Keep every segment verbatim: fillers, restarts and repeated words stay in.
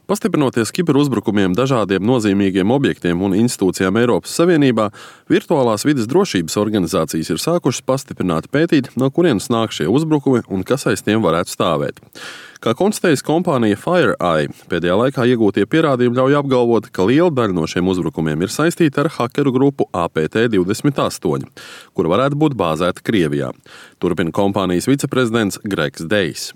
Pastiprinoties kiberuzbrukumiem dažādiem nozīmīgiem objektiem un institūcijām Eiropas Savienībā, virtuālās vides drošības organizācijas ir sākušas pastiprināti pētīt, no kurienes nāk šie uzbrukumi un kas aiz tiem varētu stāvēt. Kā konstatējas kompānija FireEye, pēdējā laikā iegūtie pierādījumi ļauj apgalvot, ka liela daļa no šiem uzbrukumiem ir saistīta ar hakeru grupu A P T divdesmit astoņi, kura varētu būt bāzēta Krievijā. Turpina kompānijas viceprezidents Gregs Dejs.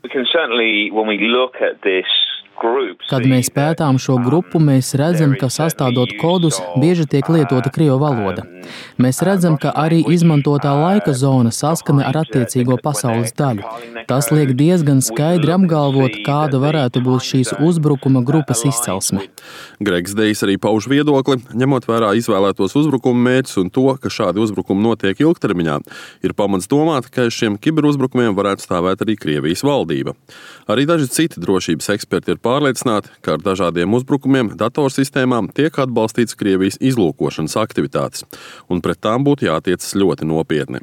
Kad mēs pētām šo grupu, mēs redzam, ka sastādot kodus bieži tiek lietota krievu valoda. Mēs redzam, ka arī izmantotā laika zona saskana ar attiecīgo pasaules daļu. Tas liek diezgan skaidri apgalvot, kāda varētu būt šīs uzbrukuma grupas izcelsme. Gregs Dejs arī pauž viedokli, ņemot vērā izvēlētos uzbrukumu mērķus un to, ka šādi uzbrukumi notiek ilgtermiņā, ir pamats domāt, ka aiz šiem kiberuzbrukumiem varētu stāvēt arī Krievijas valdība. Arī daži citi drošības eksperti ir pārliecināti, ka ar dažādiem uzbrukumiem datorsistēmām tiek atbalstīts Krievijas izlūkošanas aktivitātes, un pret tām būtu jātiecas ļoti nopietni.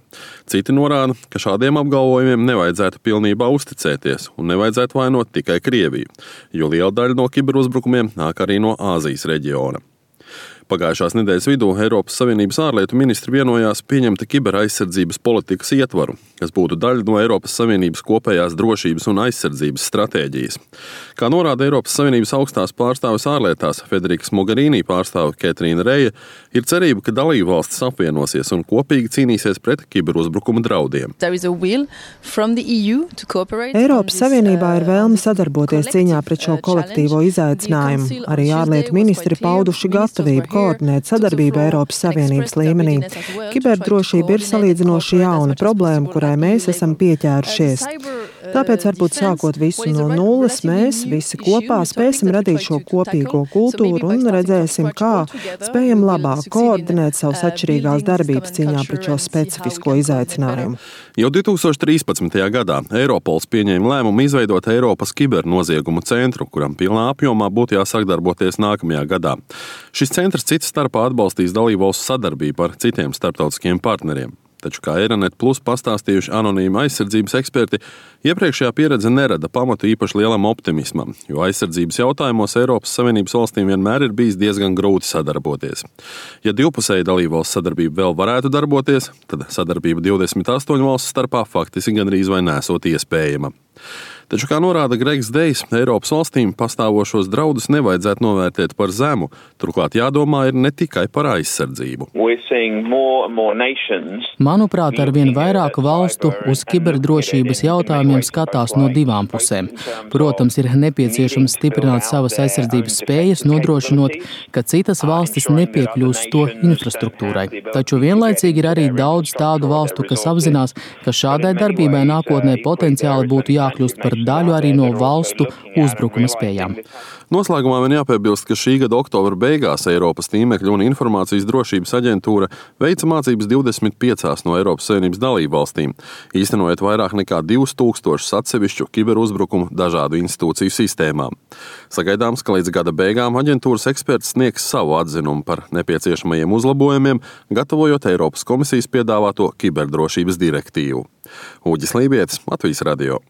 Citi norāda, ka šādiem apgalvojumiem nevajadzētu pilnībā uzticēties un nevajadzētu vainot tikai Krieviju, jo liela daļa no kiberuzbrukumiem nāk arī no Āzijas reģiona. Pagājušās nedēļas vidū Eiropas Savienības ārlietu ministri vienojās pieņemt kiberaizsardzības politikas ietvaru, kas būtu daļa no Eiropas Savienības kopējās drošības un aizsardzības stratēģijas. Kā norāda Eiropas Savienības augstās pārstāves ārlietās Federikas Mogherini pārstāve Katrīna Reja, ir cerība, ka dalībvalstis apvienosies un kopīgi cīnīsies pret kiberuzbrukumu draudiem. Eiropas Savienībā ir vēlme sadarboties cīņā pret šo kolektīvo izaicinājumu. Arī ārlietu ministri pauduši gatavību koordinēt sadarbību Eiropas Savienības līmenī. Kiberdrošība ir salīdzinoši jauna problēma, kurai mēs esam pieķērušies. Tāpēc varbūt sākot visu no nulles, mēs visi kopā spēsim radīt šo kopīgo kultūru un redzēsim, kā spējam labāk koordinēt savas atšķirīgās darbības cīņā pret šo specifisko izaicinājumu. Jau divtūkstoš trīspadsmitajā gadā Eiropols pieņēma lēmumu izveidot Eiropas kibernoziegumu centru, kuram pilnā apjomā būtu jāsāk darboties nākamajā gadā. Šis centrs cits starpā atbalstīs dalībvalstu sadarbību ar citiem starptautiskiem partneriem. Taču, kā Eironet Plus pastāstījuši anonīmi aizsardzības eksperti, iepriekšējā pieredze nerada pamatu īpaši lielam optimismam, jo aizsardzības jautājumos Eiropas Savienības valstīm vienmēr ir bijis diezgan grūti sadarboties. Ja divpusēja dalībvalstu sadarbība vēl varētu darboties, tad sadarbība divdesmit astoņu valstu starpā faktiski gandrīz vai nesot iespējama. Taču, kā norāda Gregs Dejs, Eiropas valstīm pastāvošos draudus nevajadzētu novērtēt par zemu, turklāt jādomā ir ne tikai par aizsardzību. Manuprāt, arvien vairāk valstu uz kiberdrošības jautājumiem skatās no divām pusēm. Protams, ir nepieciešams stiprināt savas aizsardzības spējas, nodrošinot, ka citas valstis nepiekļūst to infrastruktūrai. Taču vienlaicīgi ir arī daudz tādu valstu, kas apzinās, ka šādai darbībai nākotnē potenciāli būtu jākļūst par daļu arī no valstu uzbrukuma spējām. Noslēgumā vien jāpiebilst, ka šī gada oktobra beigās Eiropas tīmekļu un informācijas drošības aģentūra veica mācības divdesmit piecās no Eiropas Savienības dalībvalstīm, īstenojot vairāk nekā divus tūkstošus atsevišķu kiberuzbrukumu dažādu institūciju sistēmām. Sagaidāms, ka līdz gada beigām aģentūras eksperts sniegs savu atzinumu par nepieciešamajiem uzlabojumiem, gatavojot Eiropas komisijas piedāvāto kiberdrošības direktīvu. Uģis Lībietis, Latvijas radio.